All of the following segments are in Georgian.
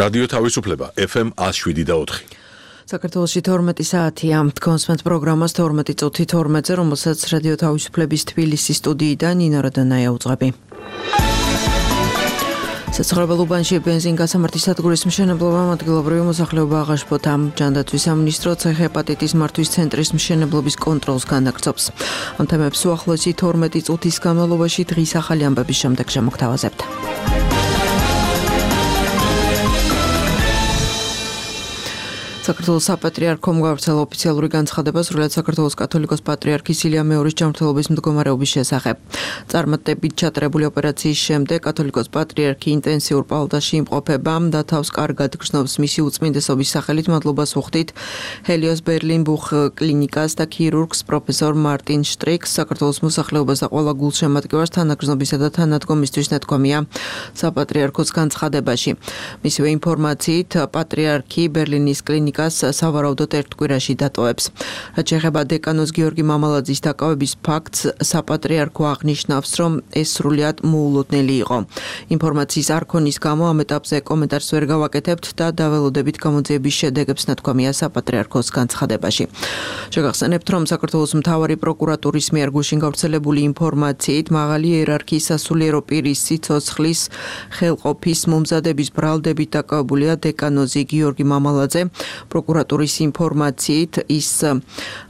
რადიო თავისუფლება FM 107.4. საქართველოში 12 საათია. კონსმენტ პროგრამას 12 წუთი 12-ზე, რომელსაც რადიო თავისუფლების თბილისის სტუდიიდან ნინო როდანაია უძღვები. საცხოვრებელ უბანში ბენზინგასამართის სადგურის მშენებლობამ ადგილობრივი მოსახლეობა აღაშფოთა. ჯანდაცვის სამინისტრო ცეჰეპატიტის მართვის ცენტრის მშენებლობის კონტროლს განაგრძობს. ამ თემებს უახლოესი 12 წუთის განმავლობაში დღის ახალი ამბების შემდეგ შემოგთავაზებთ. საქართველოს საპატრიარქომ გავრცელა ოფიციალური განცხადება სრულად საქართველოს კათოლიკოს პატრიარქის ილია მეორის ჯანმრთელობის მდგომარეობის შესახებ. წარმატებით ჩატარებული ოპერაციის შემდეგ კათოლიკოს პატრიარქი ინტენსიურ პალატაში იმყოფება და თავს კარგად გრძნობს. მისი უწმინდესობის სახელით მადლობას ვუხდით ჰელიოს ბერლინ ბუხ კლინიკას და ქირურგს პროფესორ მარტინ შტრიქს, საქართველოს მოსახლეობას და ყველა გულშემატკივარს თანაგრძნობისა და თანადგომისთვის ნათქვამია საპატრიარქოს განცხადებაში. მისივე ინფორმაციით პატრიარქი ბერლინის კლინიკას სავარაუდოდ ერთ კვირაში დატოვებს. რაც შეეხება დეკანოს გიორგი მამალაძის დაკავების ფაქტს, საპატრიარქო აღნიშნავს, რომ ეს სრულიად მოულოდნელი იყო. ინფორმაციის არ ქონის გამო ამ ეტაპზე კომენტარს ვერ გავაკეთებთ და დაველოდებით გამოძიების შედეგებს ნათქვამია საპატრიარქოს განცხადებაში. შეგახსენებთ, რომ საქართველოს მთავარი პროკურატურის მიერ გუშინ გავრცელებული ინფორმაციით მაღალი იერარქიის სასულიერო პირის სიცოცხლის ხელყოფის მომზადების ბრალდებით დაკავებულია დეკანოზი გიორგი მამალაძე. პროკურატურის ინფორმაციით ის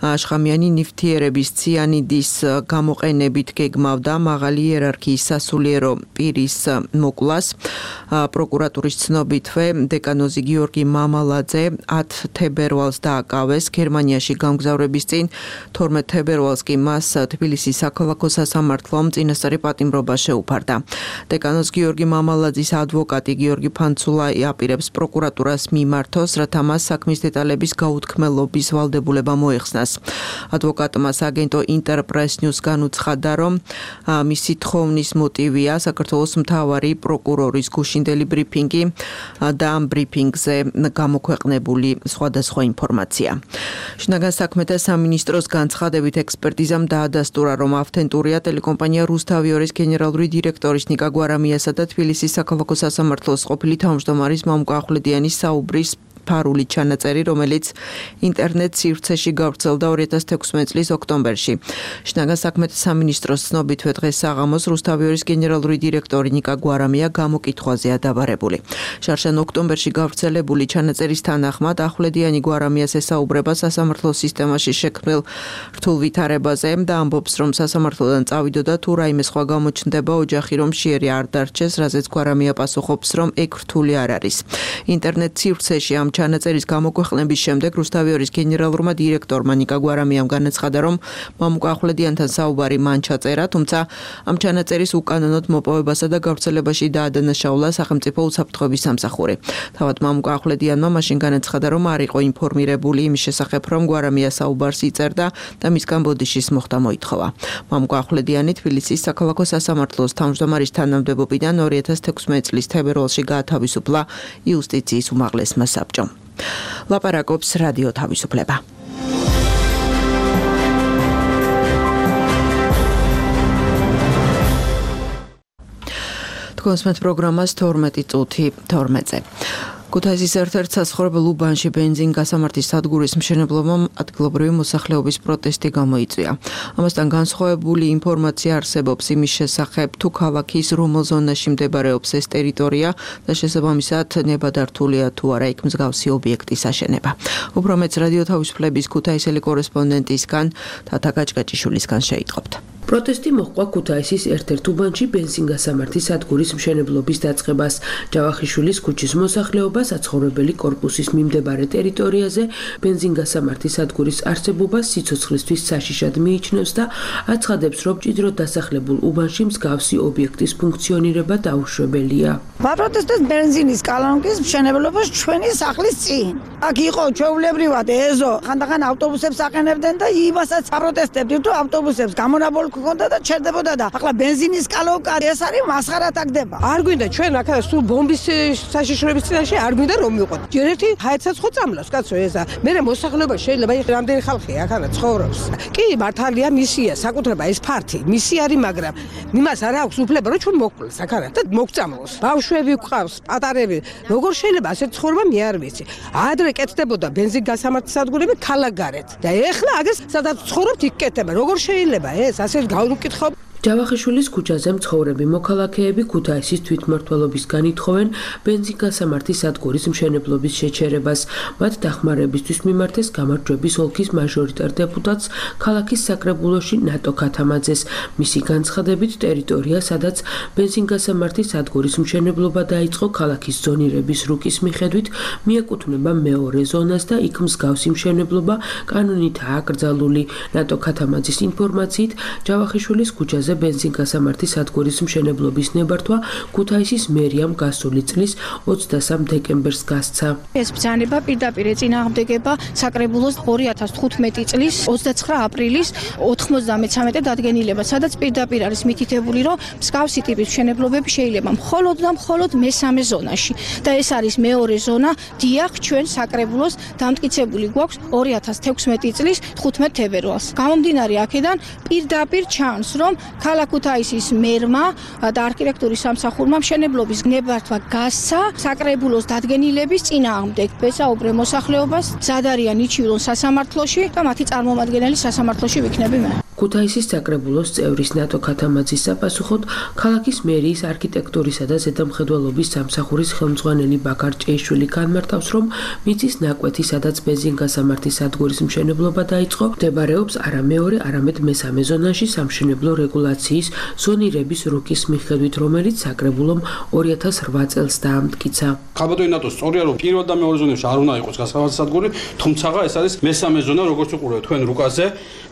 შხამიანი ნივთიერების ციანიდის გამოყენებით გეგმავდა მაღალი იერარქიის სასულიერო პირის მოკვლას. პროკურატურის ცნობითვე დეკანოზი გიორგი მამალაძე 10 თებერვალს დააკავეს გერმანიაში გამგზავრების წინ. 12 თებერვალს კი მას თბილისის საქალაქო სასამართლომ წინასწარი პატიმრობა შეუფარდა. დეკანოზ გიორგი მამალაძის ადვოკატი გიორგი ფანცულა აპირებს პროკურატურას მიმართოს, რათა მას საქმის დეტალების გაუთქმელობის ვალდებულება მოეხსნას. ადვოკატმა აგენტო ინტერპრეს ნიუს განუცხადა, რომ მისი თხოვნის მოტივია საქართველოს მთავარი პროკურორის გუშინდელი ბრიფინგი და ამ ბრიფინგზე გამოქვეყნებული სხვადასხვა ინფორმაცია. შინაგან საქმეთა სამინისტროს განცხადებით ექსპერტიზამ დაადასტურა, რომ ავთენტურია ტელეკომპანია რუსთავიორის გენერალური დირექტორის ნიკა გვარამიასა და თბილისის საქალაქო სასამართლოს ყოფილი თავმჯდომარის მამუკა ახვლედიანის საუბრის ფარული ჩანაწერი, რომელიც ინტერნეტ სივრცეში გავრცელდა 2016 წლის ოქტომბერში. შინაგან საქმეთა სამინისტროს ცნობითვე დღეს საღამოს რუსთავიორის გენერალური დირექტორი ნიკა გვარამია გამოკითხვაზეა დაბარებული. შარშან ოქტომბერში გავრცელებული ჩანაწერის თანახმად ახვლედიანი გვარამიას ესაუბრება სასამართლოს სისტემაში შექმნილ რთულ ვითარებაზე და ამბობს, რომ სასამართლოდან წავიდოდა თუ რაიმე სხვა გამოჩნდება ოჯახი რომ შეერი არ დარჩეს, რაზეც გვარამია პასუხობს, რომ ეგ რთული არ არის. ინტერნეტ სივრცეში ამ ჩანაწერის გამოქვეყნების შემდეგ რუსთავიორის გენერალურმა დირექტორმა ნიკა გვარამიამ განაცხადა, რომ მამუკა ახვლედიანთან საუბარი მან ჩაწერა, თუმცა ამ ჩანაწერის უკანონოდ მოპოვებასა და გავრცელებაში დაადანაშაულა სახელმწიფო უსაფრთხოების სამსახური. თავად მამუკა ახვლედიანმა მაშინ განაცხადა, რომ არ იყო ინფორმირებული იმის შესახებ, რომ გვარამია საუბარს იწერდა და მისგან ბოდიშის მოხდა მოითხოვა. მამუკა ახვლედიანი თბილისის საქალაქო სასამართლოს თავმჯდომარის თანამდებობიდან 2016 წლის თებერვალში გაათავისუფლა იუსტიციის უმაღლესმა საბჭომ. ლაპარაკობს რადიო თავისუფლება. კონსმენტ პროგრამას 12 წუთი 12-ზე. ქუთაისის ერთ-ერთ საცხოვრებელ უბანში ბენზინგასამართის სადგურის მშენებლობამ ადგილობრივი მოსახლეობის პროტესტი გამოიწვია. ამასთან განსხვავებული ინფორმაცია არსებობს იმის შესახებ, თუ ქალაქის რომელ ზონაში მდებარეობს ეს ტერიტორია და შესაბამისად ნებადართულია თუ არა იქ მსგავსი ობიექტის აშენება. უფრო მეც რადიო თავისუფლების ქუთაისელი კორესპონდენტისგან თათა გაჭგაჭიშვილისგან შეიტყობთ. პროტესტი მოჰყვა ქუთაისის ერთ-ერთ უბანში ბენზინგასამართის სადგურის მშენებლობის დაწყებას. ჯავახიშვილის ქუჩის მოსახლეობა საცხოვრებელი კორპუსის მიმდებარე ტერიტორიაზე ბენზინგასამართის სადგურის არსებობას სიცოცხლისთვის საშიშად მიიჩნევს და აცხადებს, რომ მჭიდროდ დასახლებულ უბანში მსგავსი ობიექტის ფუნქციონირება დაუშვებელია. ვაპროტესტებთ ბენზინის კალანკის მშენებლობას ჩვენი სახლის წინ. აქ იყო ჩვეულებრივად ეზო, ხანდახან ავტობუსებს აყენებდნენ და იმასაც აპროტესტებთ, თუ ავტობუსებს გამონაბოლქვი ჰქონდა და ჩერდებოდა და ახლა ბენზინის კალოვკა ეს არის მასხარა თაგდება. არ გვინდა ჩვენ აქა სულ ბომბის საშიშროების წინაშე არ გვინდა რომ მივყოთ. ჯერ ერთი ჰაერსაც ხო წამლავს კაცო ესა. მე მოსახლეობა შეიძლება რამდენი ხალხი აქანა ცხოვრობს. კი მართალია მისია საკუთრება ეს ფართი მისი არის მაგრამ იმას არ აქვს უფლება რომ ჩვენ მოკვლეს აქანა და მოგწამლოს. ბავშვები გვყავს პატარები როგორ შეიძლება ასეთ ცხოვრება მე არ ვიცი. ადრე კეთდებოდა ბენზინგასამართი სადგურები ქალაქგარეთ და ეხლა აგეს სადაც ცხოვრობთ იქ კეთდება. როგორ შეიძლება ეს ასე გაუკითხავ ჯავახიშვილის ქუჩაზე მცხოვრები მოქალაქეები ქუთაისის თვითმმართველობისგან ითხოვენ ბენზინგასამართის სადგურის მშენებლობის შეჩერებას. მათ დახმარებისთვის მიმართეს გამარჯვების ოლქის მაჟორიტარ დეპუტატს ქალაქის საკრებულოში ნატო ქათამაძეს. მისი განცხადებით ტერიტორია, სადაც ბენზინგასამართის სადგურის მშენებლობა დაიწყო ქალაქის ზონირების რუკის მიხედვით, მიეკუთვნება მეორე ზონას და იქ მსგავსი მშენებლობა კანონითაა აკრძალული. ნატო ქათამაძის ინფორმაციით ჯავახიშვილის ქუჩაზე ბენზინგასამართის სადგურის მშენებლობის ნებართვა ქუთაისის მერიამ გასული წლის 23 დეკემბერს გასცა. ეს ბრძანება პირდაპირ ეწინააღმდეგება საკრებულოს 2015 წლის 29 აპრილის 93 დადგენილება, სადაც პირდაპირ არის მითითებული, რომ მსგავსი ტიპის მშენებლობები შეიძლება მხოლოდ და მხოლოდ მესამე ზონაში და ეს არის მეორე ზონა. დიახ, ჩვენ საკრებულოს დამტკიცებული გვაქვს 2016 წლის 15 თებერვალს. გამომდინარე აქედან პირდაპირ ჩანს, რომ ქალაქ ქუთაისის მერმა და არქიტექტურის სამსახურმა მშენებლობის ნებართვა გასცა საკრებულოს დადგენილების წინააღმდეგ. ვესაუბრე მოსახლეობას, მზად არიან იჩივლონ სასამართლოში და მათი წარმომადგენელი სასამართლოში ვიქნები მე. ქუთაისის საკრებულოს წევრის ნატო ქათამაძის საპასუხოდ ქალაქის მერიის არქიტექტურისა და ზედამხედველობის სამსახურის ხელმძღვანელი ბაქარ ჭეიშვილი განმარტავს, რომ მიწის ნაკვეთი, სადაც ბენზინგასამართის სადგურის მშენებლობა დაიწყო, მდებარეობს არა მეორე, არამედ მესამე ზონაში სამშენებლო რეგულაციის ზონირების რუკის მიხედვით, რომელიც საკრებულომ 2008 წელს დაამტკიცა. ხაბადოი ნატო სწორია, რომ პირველ და მეორე ზონებში არ უნდა იყოს გასამართი სადგური, თუმცა ეს არის მესამე ზონა, როგორც უყურებთ თქვენ რუკაზე.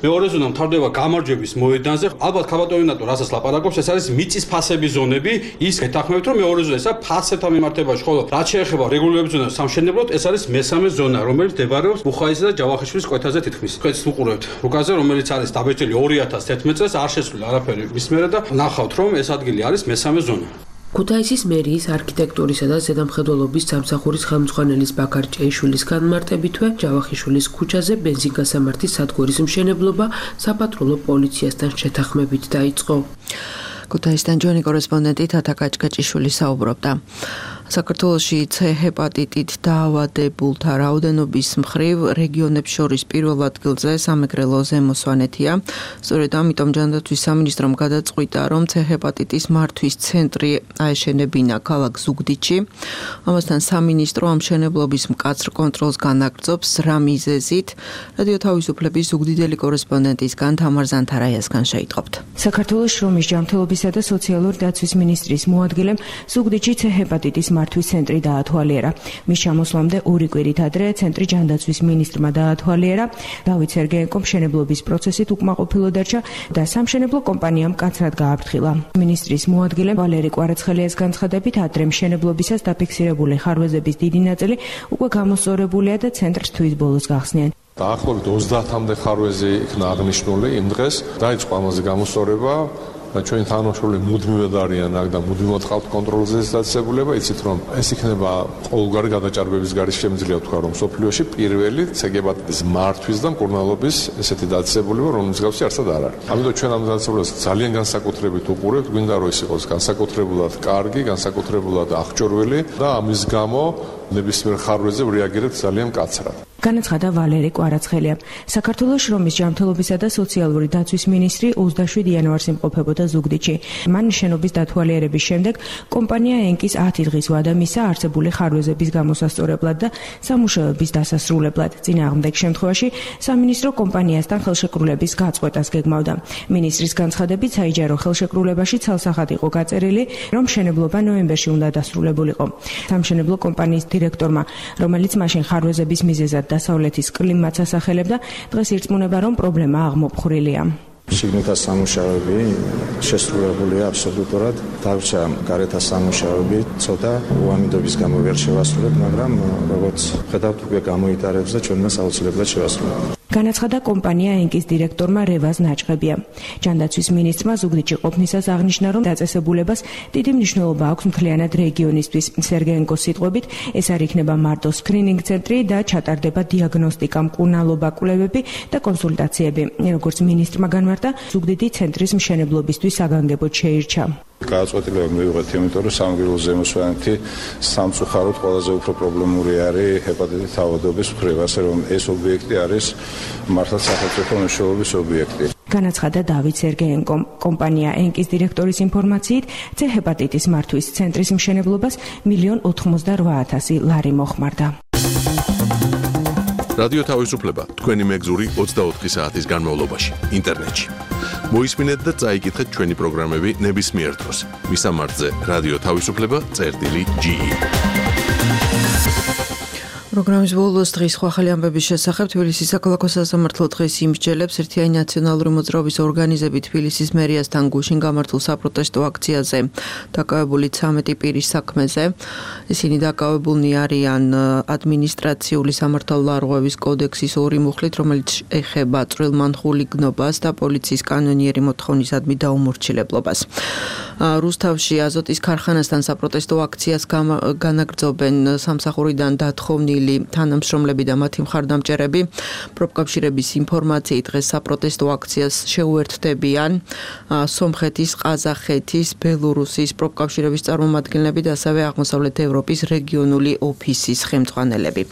მეორე ზონა მთავრდება გამარჯვების მოედანზე. ალბათ ხაბადოი ნატო რასაც ლაპარაკობს, ეს არის მიწის ფასების ზონები. ის გეთანხმებით, რომ მეორე ზონა ესა ფასებთან მიმართებაში, ხოლო რაც შეეხება რეგულირების ზონას სამშენებლოდ, ეს არის მესამე ზონა, რომელიც მდებარეობს ბუხაისის და ჯავახიშვილის კვეთაზე თითქმის. თქვენც უყურებთ რუკაზე, რომელიც არის დაბეჭდილი 2011 წელს, არ შესული არაფერი მის მერე და ნახავთ, რომ ეს ადგილი არის მესამე ზონა. ქუთაისის მერიის არქიტექტურისა და ზედამხედველობის სამსახურის ხელმძღვანელის ბაქარ ჭეიშვილის განმარტებითვე, ჯავახიშვილის ქუჩაზე ბენზინგასამართის სადგურის მშენებლობა საპატრულო პოლიციასთან შეთანხმებით დაიწყო. ქუთაისთან ჯონი კორესპონდენტი თათა კაჭკაჭიშვილი საუბრობდა. საქართველოში C ჰეპატიტით დაავადებულთა რაოდენობის მხრივ რეგიონებს შორის პირველ ადგილზე სამეგრელო ზემო სვანეთია. სწორედ ამიტომ ჯანდაცვის სამინისტრომ გადაწყვიტა, რომ C ჰეპატიტის მართვის ცენტრი აეშენებინა ქალაქ ზუგდიდში. ამასთან სამინისტრო ამ მშენებლობის მკაცრ კონტროლს განაგრძობს. რა მიზეზით? რადიო თავისუფლების ზუგდიდელი კორესპონდენტისგან თამარ ზანთარაიასგან შეიტყობთ. საქართველოს შრომის ჯანმრთელობისა და სოციალური დაცვის მინისტრის მოადგილემ ზუგდიდში C ჰეპატიტის მართვის ცენტრი დაათვალიერა. მის ჩამოსვლამდე 2 კვირით ადრე ცენტრი ჯანდაცვის მინისტრმა დაათვალიერა. დავით სერგეენკო მშენებლობის პროცესით უკმაყოფილო დარჩა და სამშენებლო კომპანიამ მკაცრად გააფრთხილა. მინისტრის მოადგილემ ვალერი კვარაცხელიას განცხადებით, ადრე მშენებლობისას დაფიქსირებული ხარვეზების დიდი ნაწილი უკვე გამოსწორებულია და ცენტრს თვის ბოლოს გახსნიან. დაახლოებით 30-მდე ხარვეზი იქნა აღნიშნული იმ დღეს. დაიწყო ამაზე გამოსწორება. ჩვენ თანამშრომლები მუდმივად არიან აქ და მუდმივად ყავთ კონტროლზე დაწესებულება. იცით რომ ეს იქნება ყოველგვარი გადაჭარბების გარშემო შემიძლია ვთქვა, რომ სოფლიოში პირველი C ჰეპატიტის მართვის და მკურნალობის ესეთი დაწესებულება, რომელიც მსგავსი არსად არ არის. ამიტომ ჩვენ ამ დაწესებულებას ძალიან განსაკუთრებით უყურებთ. გვინდა რომ ის იყოს განსაკუთრებულად კარგი, განსაკუთრებულად აღჭურვილი და ამის გამო ნებისმიერ ხარვეზე რეაგირებთ ძალიან მკაცრად. განაცხადა ვალერი კვარაცხელია. საქართველოს შრომის ჯანმრთელობისა და სოციალური დაცვის მინისტრი 27 იანვარს იმყოფებოდა ზუგდიდში. მან შენობის დათვალიერების შემდეგ კომპანია ენკის 10 დღის ვადა მისცა არსებული ხარვეზების გამოსასწორებლად და სამუშაოების დასასრულებლად. წინააღმდეგ შემთხვევაში სამინისტრო კომპანიასთან ხელშეკრულების გაწყვეტას გეგმავდა. მინისტრის განცხადებით, საიჯარო ხელშეკრულებაში ცალსახად იყო გაწერილი, რომ მშენებლობა ნოემბერში უნდა დასრულებულიყო. სამშენებლო კომპანიის დირექტორმა, რომელიც მაშინ ხარვეზების მიზეზად დასავლეთის კლიმატს ასახელებდა, დღეს ირწმუნება, რომ პრობლემა აღმოფხრილია. შიგნითა სამუშაოები შესრულებულია აბსოლუტურად. დარჩა გარეთა სამუშაოები, ცოტა უამიდობის გამო ვერ შევასრულებთ, მაგრამ როგორც ხედავთ, უკვე გამოიტარებს და ჩვენ მას აუცილებლად შევასრულებთ. განაცხადა კომპანია ენკის დირექტორმა რევაზ ნაჭყებია. ჯანდაცვის მინისტრმა ზუგდიდში ყოფნისას აღნიშნა, რომ დაწესებულებას დიდი მნიშვნელობა აქვს მთლიანად რეგიონისთვის. სერგეენკოს სიტყვებით, ეს არ იქნება მარტო სკრინინგ ცენტრი და ჩატარდება დიაგნოსტიკა, მკურნალობა, კვლევები და კონსულტაციები. როგორც მინისტრმა განმარტა, ზუგდიდი ცენტრის მშენებლობისთვის საგანგებოდ შეირჩა. გააწყვეტილება მივიღეთ, იმიტომ რომ სამგრელო ზემოსვანეთი სამწუხაროდ ყველაზე უფრო პრობლემური არის ჰეპატიტით ავადობის მხრივ, ასე რომ ეს ობიექტი არის მართლაც სახელმწიფო მნიშვნელობის ობიექტი. განაცხადა დავით სერგეენკომ. კომპანია ენკის დირექტორის ინფორმაციით, C ჰეპატიტის მართვის ცენტრის მშენებლობას 1,88,000 ლარი მოხმარდა. რადიო თავისუფლება თქვენი მეგზური 24 საათის განმავლობაში ინტერნეტში. მოისმინეთ და წაიკითხეთ ჩვენი პროგრამები ნებისმიერ დროს. მისამართზე რადიო თავისუფლება.ge. პროგრამის ბოლოს დღის სხვა ახალი ამბების შესახებ თბილისის საქალაქო სასამართლო დღეს იმსჯელებს ერთიანი ნაციონალური მოძრაობის ორგანიზები თბილისის მერიასთან გუშინ გამართულ საპროტესტო აქციაზე დაკავებული 13 პირის საქმეზე. ისინი დაკავებულნი არიან ადმინისტრაციული სამართალდარღვევის კოდექსის 2 მუხლით, რომელიც ეხება წვრილმანხული გნობას და პოლიციის კანონიერი მოთხოვნისადმი დაუმორჩილებლობას. რუსთავში აზოტის ქარხანასთან საპროტესტო აქციას განაგრძობენ სამსახურიდან დათხოვნილი თანამშრომლები და მათი მხარდამჭერები. პროფკავშირების ინფორმაციით დღეს საპროტესტო აქციას შეუერთდებიან სომხეთის, ყაზახეთის, ბელორუსის პროფკავშირების წარმომადგენლები და ასევე აღმოსავლეთ ევროპის რეგიონული ოფისის ხელმძღვანელები.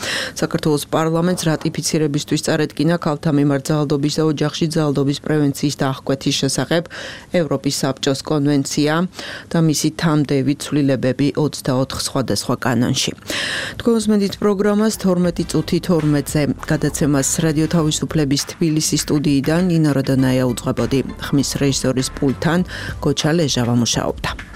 საქართველოს პარლამენტს რატიფიცირებისთვის წარადგინა ქალთა მიმართ ძალადობის და ოჯახში ძალადობის პრევენციის და აღკვეთის შესახებ ევროპის საბჭოს კონვენცია და მისი თამდევი ცვლილებები 24 სხვადასხვა კანონში. თქვენს მედით პროგრამას 12 წუთი 12-ზე გადაცემას რადიო თავისუფლების თბილისის სტუდიიდან ნინო როდონაია უძღვებოდი. ხმის რეჟისორის პულტთან გოჩა ლეჟავა მუშაობდა.